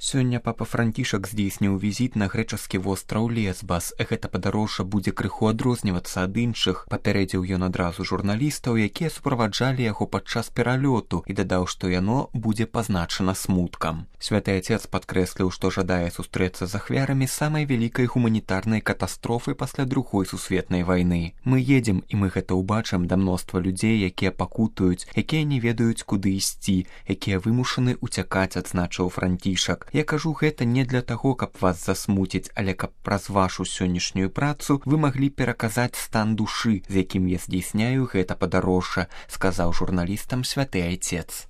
Сёння папа Францішак здзейсніў візіт на грэчаскі востраў Лесбас. Гэта падарожжа будзе крыху адрознівацца ад іншых. Папярэдзіў ён адразу журналістаў, якія суправаджалі яго падчас пералёту, і дадаў, што яно будзе пазначана смуткам. Святы Отец падкрэсліў, што жадае сустрэцца з ахвярамі самай вялікай гуманітарнай катастрофы пасля Другой сусветнай вайны. Мы едзем, і мы гэта ўбачым, да мноства людзей, якія пакутуюць, якія не ведаюць, куды ісці, якія вымушаны ўцякаць, адзначыў Францішак. Я кажу гэта не для таго, каб вас засмуціць, але каб праз вашу сённяшнюю працу вы маглі пераказаць стан душы, з якім я здзейсняю гэта падарожжа, сказаў журналістам святы Отец.